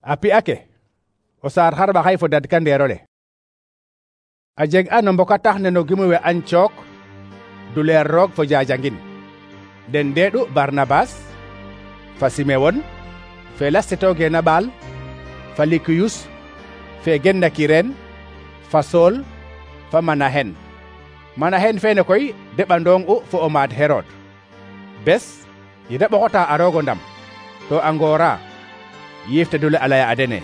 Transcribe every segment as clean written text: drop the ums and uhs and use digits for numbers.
A pi'a ke o saar xarɓaxay fo dadka ndeerole. A jeg a no mboka tax ne no gimu we Antiyok duleer roog fo jajangin. Den ndeeɗu Barnabas fa Simewon fe lastitogeena ɓaal fa Likiyus fe genna Kiren fa Sool fa Manahen. Manahen fene koy deɓandong u fo o maad Herod. Bes yede ɓoxota a roogo ndam to a ngoora yiifte dule a laya a dene: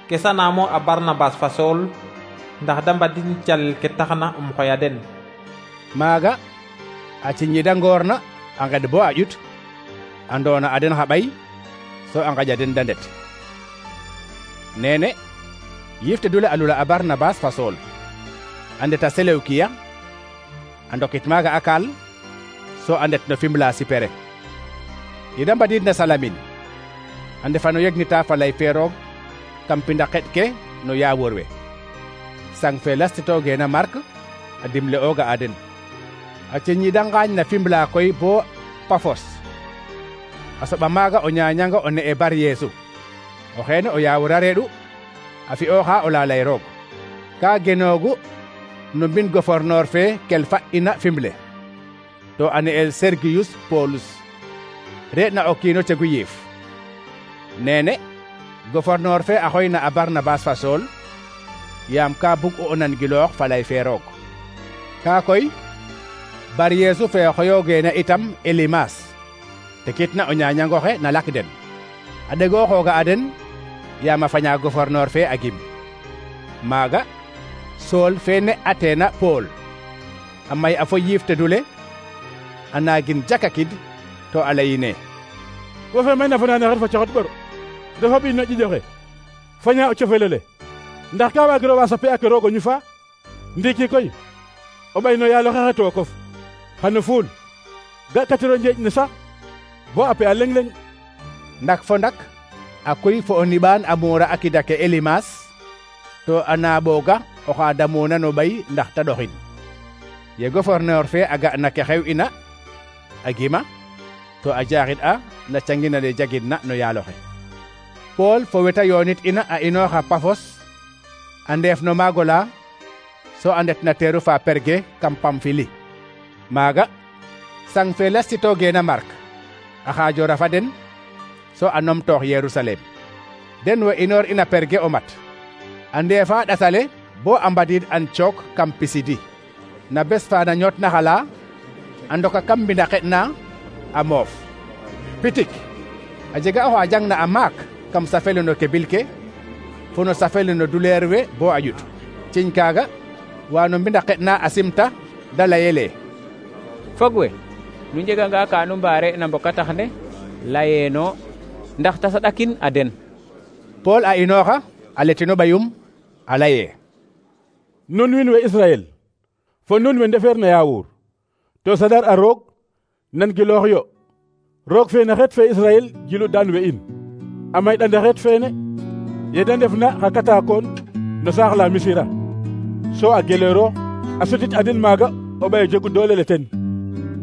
Kesanamo a Barnabas fa Sool ndax da mbadin calel ke taxna xoya den. Maaga a ciñida ngoorna a nged bo a ƴut a ndoona a den xa ɓay so a ngaƴa den da ndet. Nene yiifte dule a lula a Barnabas fa Sool a ndeta Selewkiya a ndokit maaga a kaal so a ndet no Fimla Sipere. Yede mbadiid na Salamin a ndefa no yegnita fa lay fe roog kam pinda xeɗ ke no yaawor we. Sang fe lastitogeena Mark a dimle ooga a den. A ciñida ngaañ na Fimla koy bo Pafos. A soɓa maaga o ñaañanga o ne'e Bar Yeesu. O xeene o yaawor a reeɗu a fi'ooxa o lalay roog. Ka genoogu no mbin gouverneur fe kel fa'ina Fimle to a ne'el Sergiyus Polus re'na o kiino cegu yiif. Nene gouverneur fe a xoyna a Barnabas fa Sool yaam ka bug o nangiloox fa lay fe roog. Ka koy Bar Yeesu fe xoyogeena itam Elimas te kitna o ñaañangoxe na lak den. A ɗegooxooga a den yaam a faña gouverneur fe a gim. Maaga Sool fe ne ateena Pool a may a fo yiifte dule a naagin jakakid to a layine: wo fe mayna fanaane xet fa coxot ɓor dafa ɓiin no ƴiƴoxe faña o cofelole ndax ka waagiro wa sape ake roog o ñufa. Ndiiki koy o ɓay no yaaloxe xe tookof xano fuul ga katiro njeeƴ ne sax bo a pe a leŋ-leŋ. Ndak fo ndak a koy fo o niɓaan a muura a kida ke Elimas to a naaɓooga oxa damuuna no ɓay ndax ta ɗoxin. Ye gouverneur fe a ga na ke xew ina a gima to a jaaxid a na cangina le jagidna no yaaloxe. Pool fo weta yoonit ina a inooxa Pafos a ndeef no maagola so a ndet na teeru fa Perge kam Pamfili. Maaga sang fe lastitogeena Mark a xaajora fa den so a numtoox Yerusalem. Den we inoor ina Perge o mat a ndeefa ɗatale bo a mbadiid Antiyok kam Pisidi. Na bes fa na ñootna xala a ndoka kam mbinda xeɗna a moof. Pitik a jega oxa jangna a maak kam safele no kebil ke fo no safele no duleer we bo a ƴut. Ciñ kaaga wa no mbinda xeɗna a simta da layele: Fog we nu njeganga ka nu mbaare na mboka tax ne layeeno ndax ta saɗakin a den. Pool a inooxa a letino ɓayum a laye: Nun wiin we Israel fo nun we ndefeer na yaawur to sadar a roog nan giloox yo. Roog fe na xeet fe Israel gilu daan we in a mayɗanda xeet feene yede ndefna xa katakoon no saax la Misira so a geleero a sotit a den maaga o ɓay jegu doole le ten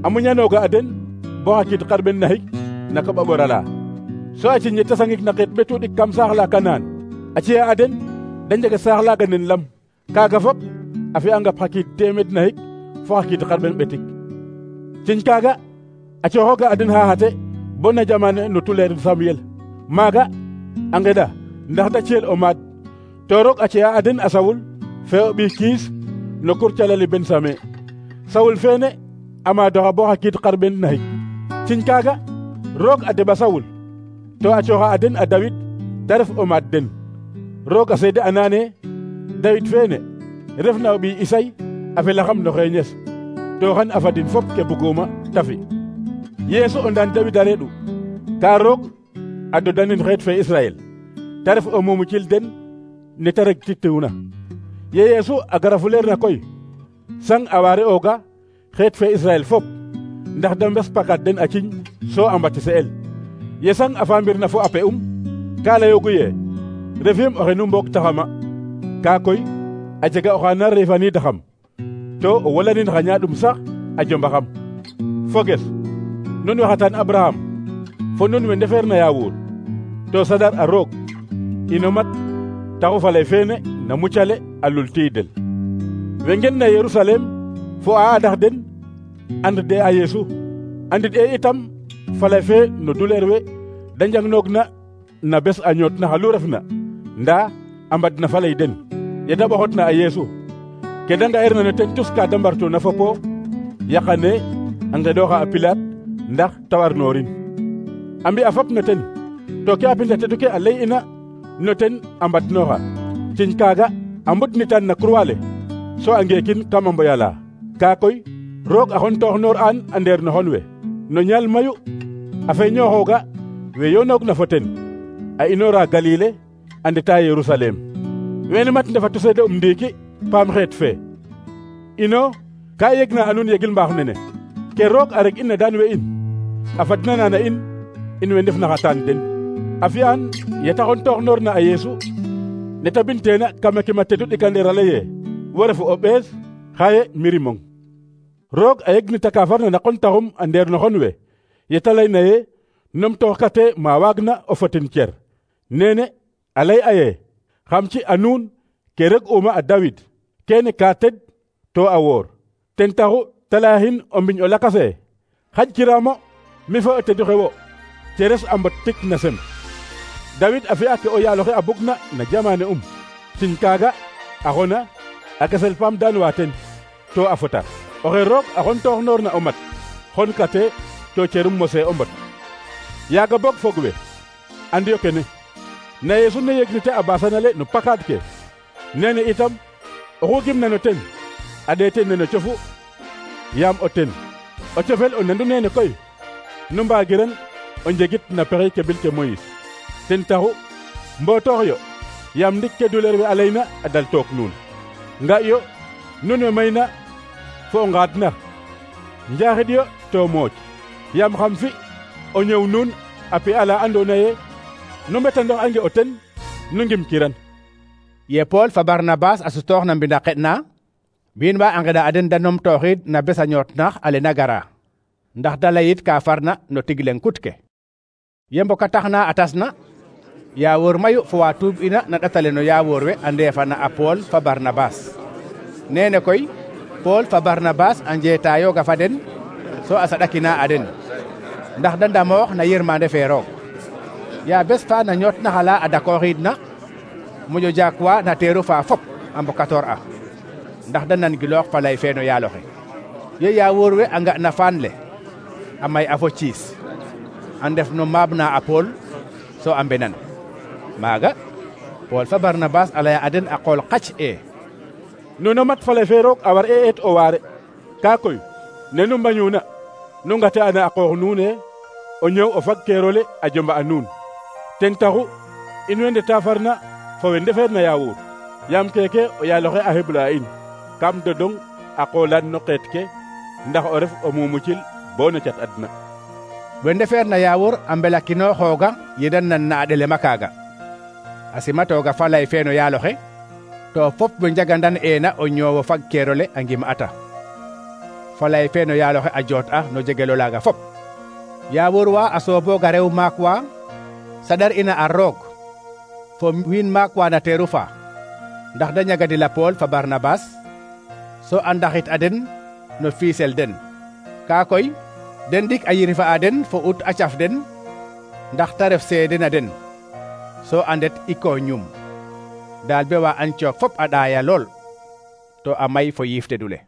a muñanooga a den bo xa kiid xarɓen naxik na koɓa ɓorala so a ciñ yete sangik na xeet ɓetu ɗik kam saax la Kanaan a ci'a a den da njega saax laga nen lam. Kaaga fop a fi'anga xa kiid teemed naxik fo xa kiid xarɓen ɓetik. Ciñ kaaga a cooxooga a den xaxate bo na jamane no tuleer Samuel. Maaga a ngeɗa ndax da ciyel o maad to roog a ci'a a den a Sawul fe o ɓiy Kiis no kur calali Bensame. Sawul feene a maadoxa bo xa kiid xarɓen naxik. Ciñ kaaga roog a deɓa Sawul to a cooxa a den a Dawid ta ref o maad den. Roog a seede a naane Dawid feene refna o ɓiy Isay a felaxam no xeeñes to xan a fadin fop ke buguma ta fi. Yeesu o ndaan Dawid a reeɗu ka roog a dodanin xeet fe Israel ta ref o mumucil den ne ta regtituuna. Ye Yeesu a gara fuleer na koy sang a waare ooga xeet fe Israel fop ndax da mbes pakat den a ciñ so a mbatise'el. Ye sang a faamir na fo a pe'um ka layoogu ye refim oxe nu mboog taxama. Ka koy a jega oxa na refaniidaxam to o wolanin xa ñaaɗum sax a jombaxam. Foges nun we xatan Abraham fo nun we ndefeer na yaawur to sadar a roog ino mat taxu falay feene na mucale a lultiidel. we ngen na Yerusalem fo a adax den and de a Yeesu andit e itam falay fe no duleer we da njangnoog na bes a ñoot na xalu refna nda a mbad na falay den ye da ɓoxot na a Yeesu ke da nga'irna no ten tus ka da mbartuna fopo yaqane a ngeɗoxa a Pilaat ndax ta warnorin a mbi'a fop no ten to ke a pinda tedu ke a ley ina no ten a mbadnoxa ciñ kaaga a mbudnitan na croix le so a ngeekin kama mboyala ka koy roog a xontoox noor an a ndeer no xon we no ñaal mayu a feeñooxooga we yonoog na fo ten a inoora Galile a ndeta Yerusalem wene mat ndefatu seede ndiiki paam xeet fe ino ka yegna a nuun yegil mbaax nene ke roog a reg ina daan we in a fadnana na in we ndefna xataan den a fi'an yeta xontoox noor na a Yeesu neta binteena kama kima tedu ɗikandeer a leye wo refu o ɓees xaye mirimong roog a yegnita ka farna na qontaxum a ndeer no xon we yeta layna ye numtoox kate ma waagna o fotin cer nene a lay aye xam ci a nuun ke reg uma a Dawid kene ka ted to a woor ten taxu te layaxin o mbiñ o lakase xaj kiramo mi fo o tedu xe wo ceres a mbot tik na sem Dawid a fi'a ke o yaaloxe a bugna na jamane sin kaaga a xona a kesel paam daan wa ten to a fota oxe roog a xontoox noor na o mat xon kate to cerum mose o mbot yaaga boog fog we andiyo kene na Yeesu ne yegnite a basanale no pakaad ke nene itam oxu gimna no ten a ɗeete neno cofu yaam o ten o cofel o nandu nene koy nu mbaagiran o njegit na pexey ke bil ke Moïse ten taxu mbotoox yo yaam ndik ke duleer we a layna a dal took nuun nga yo nun we mayna fo o ngaad na njaaxid yo to mooc yaam xam fi o ñëw nuun a pi ala andoona ye nu mbetandoox ange o ten nu ngim kiran ye Pool fa Barnabas a sutoox na mbinda xeɗna wiin wa a ngeɗa a den da numtooxid na bes a ñootnax ale na gara ndax da layit ka farna no tig leŋ kut ke ye mboka taxna a tasna yaawoor mayu fo wa tuub ina na ɗatale no yaawoor we a ndeefana a Pool fa Barnabas nene koy Pool fa Barnabas a njeetayooga fa den so a saɗakina a den ndax da ndamoox na yirmande fe roog ya bes fa na ñootnaxala a dakooxiidna moƴo jakwa na teeru fa fop a mbokatoor a ndax da nangiloox fa lay fe no yaaloxe ye yaawoor we a nga na faan le a may a fo ciis a ndef no maab na a Pool so a mbenan maaga Pool fa Barnabas a laya a den a qool qac nuno mat falay fe roog a war e eet o waare ka koy ne nu mbañuna nu ngate ana a qoox nuune o ñëw o fag keerole a jomba a nuun ten taxu in we ndeta farna fo we ndefeer na yaawuur yaam keke o yaaloxe a xebla in kam dodong a qoolaan no qeet ke ndax o ref o mumucil bo no cat adna we ndefeer na yaawuur a mbelakinooxooga yedan nan na a ɗelema kaaga a simatooga fa lay fe no yaaloxe to fop we njagandan eena o ñoowo fag keerole a ngim ata fa lay fe no yaaloxe a joot a no jegelo laaga fop yaawuur wa a soobooga rew maak wa saɗar ina a roog fo wiin maak wa na teeru fa ndax da ñagadila Pool fa Barnabas so a ndaxit a den no fiisel den ka koy den dik a yirifa a den fo ut a caf den ndax ta ref seede na den so a ndet iko ñum daal be wa Antiyok fop a ɗaaya lool to a may fo yiif tedule